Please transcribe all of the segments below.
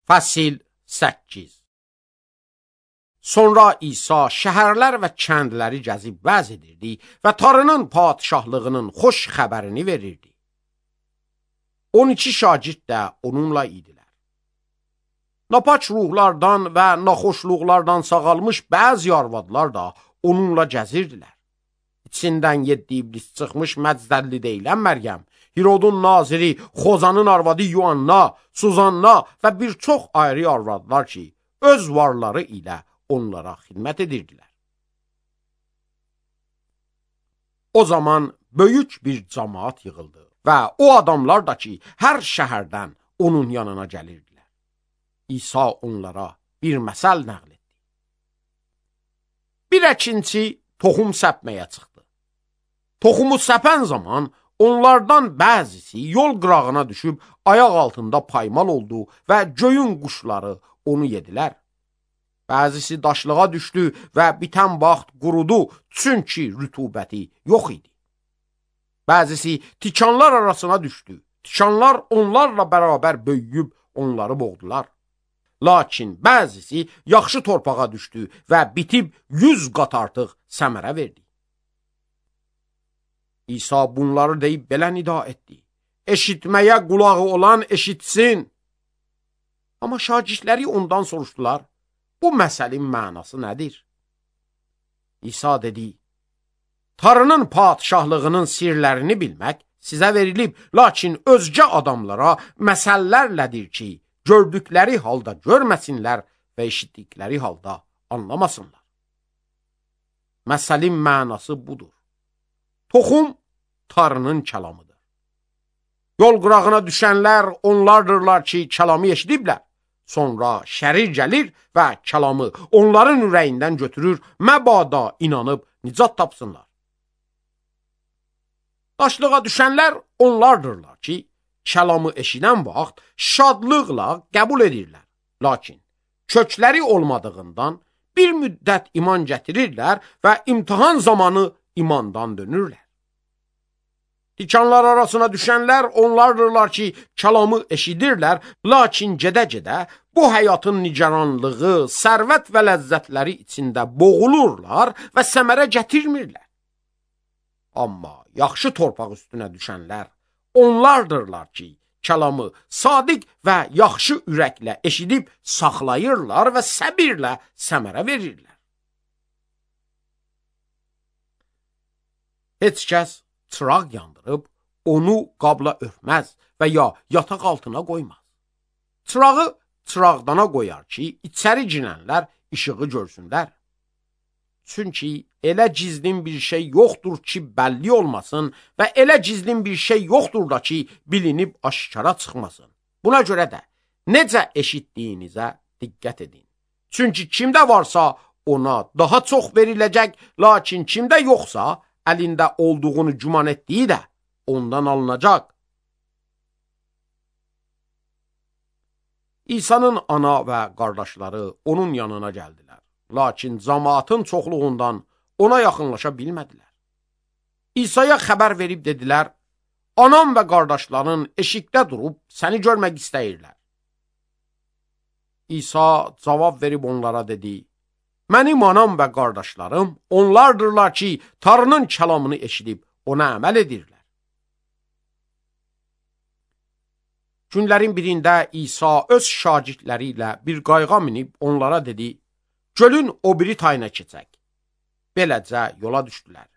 Fəsil 8. Sonra İsa şəhərlər və kəndləri gəzib vəz edirdi və Tanrının padişahlığının xoş xəbərini verirdi. 12 şagird də onunla idilər. Napaç ruhlardan və naxoşluqlardan sağalmış bəzi arvadlar da onunla gəzirdilər. İçindən 7 iblis çıxmış Məzdəlli deyilən Məryəm, Hirodun naziri, Xozanın arvadı Yuanna, Suzanna və bir çox ayrı arvadlar ki, öz varları ilə onlara xidmət edirdilər. O zaman böyük bir cəmaat yığıldı və o adamlar da ki, hər şəhərdən onun yanına gəlirdilər. İsa onlara bir məsəl nəql etdi. Bir əkinçi toxum səpməyə çıxdı. Toxumu səpən zaman onlardan bəzisi yol qırağına düşüb ayaq altında paymal oldu və göyün quşları onu yedilər. Bəzisi daşlığa düşdü və bitən vaxt qurudu, çünki rütubəti yox idi. Bəzisi tikanlar arasına düşdü. Tikanlar onlarla bərabər böyüyüb onları boğdular. Lakin bəzisi yaxşı torpağa düşdü və bitib 100 qat artıq səmərə verdi. İsa bunları deyib belə nida etdi. Eşitməyə qulağı olan eşitsin. Amma şagirdləri ondan soruşdular, bu məsəlin mənası nədir? İsa dedi, Tanrının padişahlığının sirlərini bilmək sizə verilib, lakin özgə adamlara məsəllərlədir ki, gördükləri halda görməsinlər və eşitdikləri halda anlamasınlar. Məsəlin mənası budur. Toxum Tanrının kəlamıdır. Yol qırağına düşənlər onlardırlar ki, kəlamı eşidiblər. Sonra şərir gəlir və kəlamı onların ürəyindən götürür, məbada inanıb nicat tapsınlar. Daşlığa düşənlər onlardırlar ki, kəlamı eşidən vaxt şadlıqla qəbul edirlər. Lakin kökləri olmadığından bir müddət iman gətirirlər və imtihan zamanı imandan dönürlər. Tikanlar arasına düşənlər onlardırlar ki, kəlamı eşidirlər, lakin gedə-gedə bu həyatın nigaranlığı, sərvət və ləzzətləri içində boğulurlar və səmərə gətirmirlər. Amma yaxşı torpaq üstünə düşənlər onlardırlar ki, kəlamı sadiq və yaxşı ürəklə eşidib saxlayırlar və səbirlə səmərə verirlər. Heç kəs çıraq yandırıb, onu qabla örtməz və ya yataq altına qoymaz. Çırağı çıraqdana qoyar ki, içəri girənlər işığı görsünlər. Çünki elə gizlin bir şey yoxdur ki, bəlli olmasın və elə gizlin bir şey yoxdur da ki, bilinib aşkara çıxmasın. Buna görə də necə eşitdiyinizə diqqət edin. Çünki kimdə varsa ona daha çox veriləcək, lakin kimdə yoxsa əlində olduğunu güman etdiyi də ondan alınacaq. İsa'nın ana və qardaşları onun yanına gəldilər. Lakin cəmaatın çoxluğundan ona yaxınlaşa bilmədilər. İsa'ya xəbər verib dedilər, anam və qardaşların eşikdə durub səni görmək istəyirlər. İsa cavab verib onlara dedi, mənim anam və qardaşlarım onlardırlar ki, Tanrının kəlamını eşidib ona əməl edirlər. Günlərin birində İsa öz şagirdləri ilə bir qayığa minib onlara dedi, gölün o biri tayına keçək. Beləcə yola düşdülər.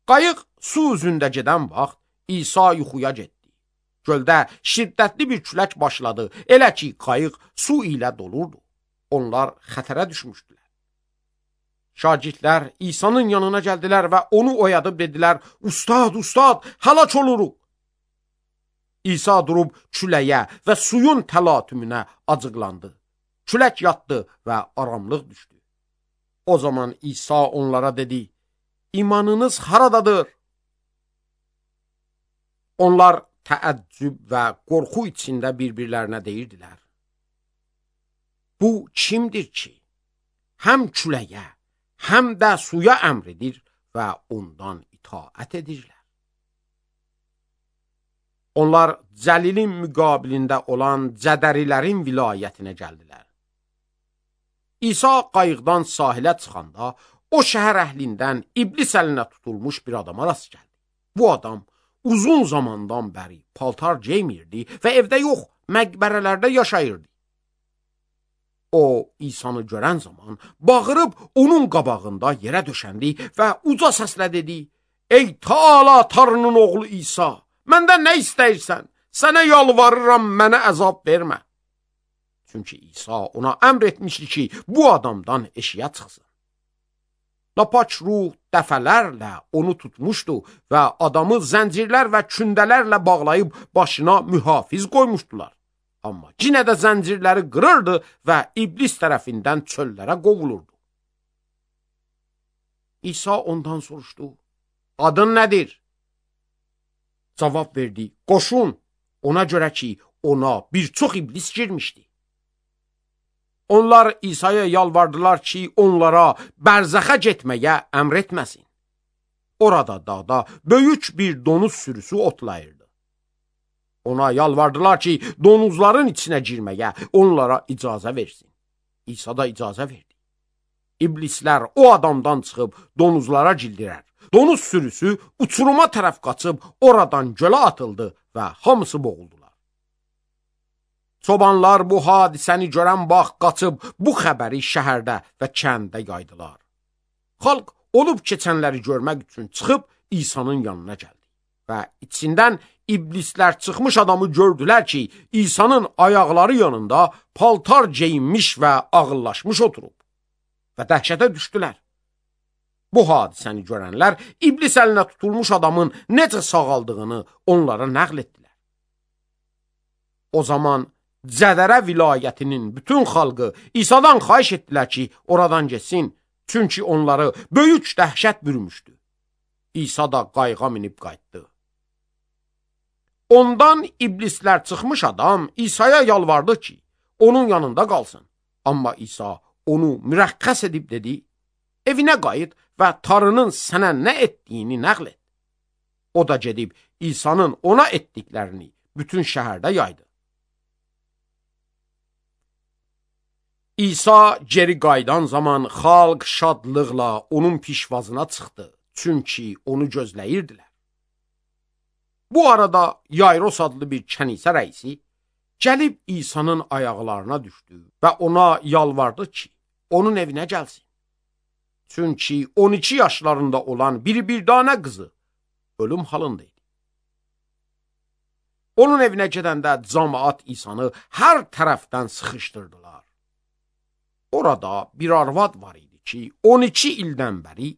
Qayıq su üzündə gedən vaxt İsa yuxuya getdi. Göldə şiddətli bir külək başladı, elə ki, qayıq su ilə dolurdu. Onlar xətərə düşmüşdülər. Şagirdlər İsa'nın yanına gəldilər və onu oyadıb dedilər, Ustad, ustad, həlak oluruq. İsa durub küləyə və suyun təlatümünə acıqlandı. Külək yatdı və aramlıq düşdü. O zaman İsa onlara dedi, imanınız haradadır? Onlar təəccüb və qorxu içində bir-birlərinə deyirdilər. Bu kimdir ki, həm küləyə, həm də suya əmr edir və ondan itaət edirlər? Onlar Cəlilin müqabilində olan Cədərilərin vilayətinə gəldilər. İsa qayıqdan sahilə çıxanda, o şəhər əhlindən iblis əlinə tutulmuş bir adama rast gəldi. Bu adam uzun zamandan bəri paltar geymirdi və evdə yox, məqbərələrdə yaşayırdı. O, İsanı görən zaman bağırıb onun qabağında yerə döşəndi və uca səslə dedi: "Ey Taala Tanrının oğlu İsa, məndən nə istəyirsən? Sənə yalvarıram, mənə əzab vermə." Çünki İsa ona əmr etmişdi ki, bu adamdan eşiyə çıxsın. Lapaç ruh dəfələrlə onu tutmuşdu və adamı zəncirlər və kündələrlə bağlayıb başına mühafiz qoymuşdular. Amma yenə də zəncirləri qırırdı və iblis tərəfindən çöllərə qovulurdu. İsa ondan soruşdu: "Adın nədir?" Cavab verdi: "Qoşun." Ona görə ki, ona bir çox iblis girmişdi. Onlar İsa'ya yalvardılar ki, onlara bərzəxə getməyə əmr etməsin. Orada dağda böyük bir donuz sürüsü otlayırdı. Ona yalvardılar ki, donuzların içinə girməyə onlara icazə versin. İsa da icazə verdi. İblislər o adamdan çıxıb donuzlara cildilər. Donuz sürüsü uçuruma tərəf qaçıb oradan gölə atıldı və hamısı boğuldular. Çobanlar bu hadisəni görən vaxt qaçıb bu xəbəri şəhərdə və kəndə yaydılar. Xalq olub keçənləri görmək üçün çıxıb İsa'nın yanına gəldi və içindən iblislər çıxmış adamı gördülər ki, İsa'nın ayaqları yanında paltar geyinmiş və ağıllaşmış oturub və dəhşətə düşdülər. Bu hadisəni görənlər iblis əlinə tutulmuş adamın necə sağaldığını onlara nəql etdilər. O zaman Cədərə vilayətinin bütün xalqı İsa'dan xahiş etdilər ki, oradan getsin, çünki onları böyük dəhşət bürümüşdü. İsa da qayığa minib qayıtdı. Ondan iblislər çıxmış adam İsa'ya yalvardı ki, onun yanında qalsın. Amma İsa onu mürəxxəs edib dedi: "Evinə qayıt və Tanrının sənə nə etdiyini nəql et." O da gedib İsa'nın ona etdiklərini bütün şəhərdə yaydı. İsa geri qayıdan zaman xalq şadlıqla onun pişvazına çıxdı, çünki onu gözləyirdilər. Bu arada Yayros adlı bir kənisə rəisi gəlib İsa'nın ayaqlarına düşdü və ona yalvardı ki, onun evinə gəlsin. Çünki 12 yaşlarında olan bir dana qızı ölüm halındaydı. Onun evinə gedəndə cəmaət İsa'nı hər tərəfdən sıxışdırdılar. Orada bir arvad var idi ki, 12 ildən bəri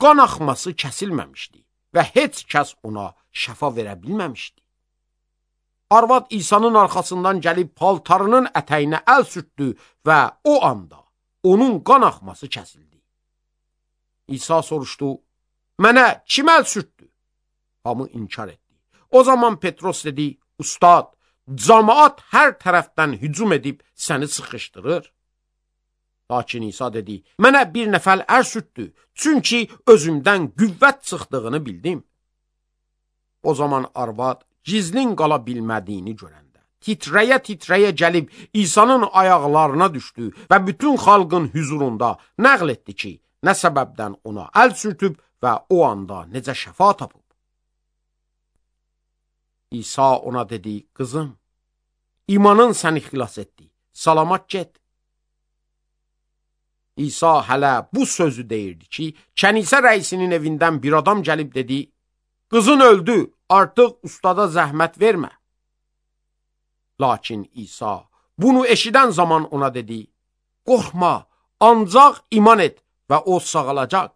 qan axması kəsilməmişdi və heç kəs ona şəfa verə bilməmişdi. Arvad İsa'nın arxasından gəlib paltarının ətəyinə əl sürtdü və o anda onun qan axması kəsildi. İsa soruşdu: "Mənə kim əl sürtdü?" Hamı inkar etdi. O zaman Petros dedi: "Ustad, cəmaət hər tərəfdən hücum edib səni sıxışdırır." Lakin İsa dedi: "Mənə bir nəfər əl sürtdü, çünki özümdən qüvvət çıxdığını bildim." O zaman arvad gizlin qala bilmədiyini görəndə titrəyə-titrəyə gəlib İsa'nın ayaqlarına düşdü və bütün xalqın hüzurunda nəql etdi ki, nə səbəbdən ona əl sürtüb və o anda necə şəfa tapıb. İsa ona dedi: "Qızım, imanın səni xilas etdi, salamat get." İsa hələ bu sözü deyirdi ki, kənisə rəisinin evindən bir adam gəlib dedi: "Qızın öldü, artıq ustada zəhmət vermə." Lakin İsa bunu eşidən zaman ona dedi: "Qorxma, ancaq iman et və o sağalacaq."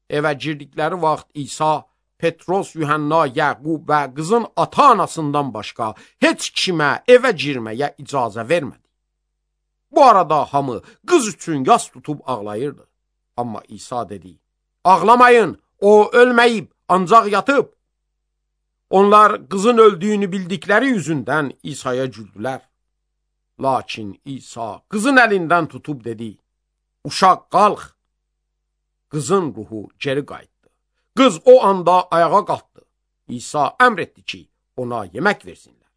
Evə girdikləri vaxt İsa, Petros, Yuhanna, Yaqub və qızın ata-anasından başqa heç kimə evə girməyə icazə vermədi. Bu arada hamı qız üçün yas tutub ağlayırdı. Amma İsa dedi: "Ağlamayın, o ölməyib, ancaq yatıb." Onlar qızın öldüyünü bildikləri yüzündən İsa'ya güldülər. Lakin İsa qızın əlindən tutub dedi: "Uşaq, qalx." Qızın ruhu geri qayıtdı. Qız o anda ayağa qalxdı. İsa əmr etdi ki, ona yemək versinlər.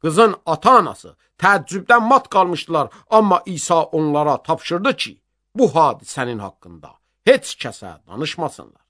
Qızın ata-anası təəccübdən mat qalmışdılar, amma İsa onlara tapşırdı ki, bu hadisənin haqqında heç kəsə danışmasınlar.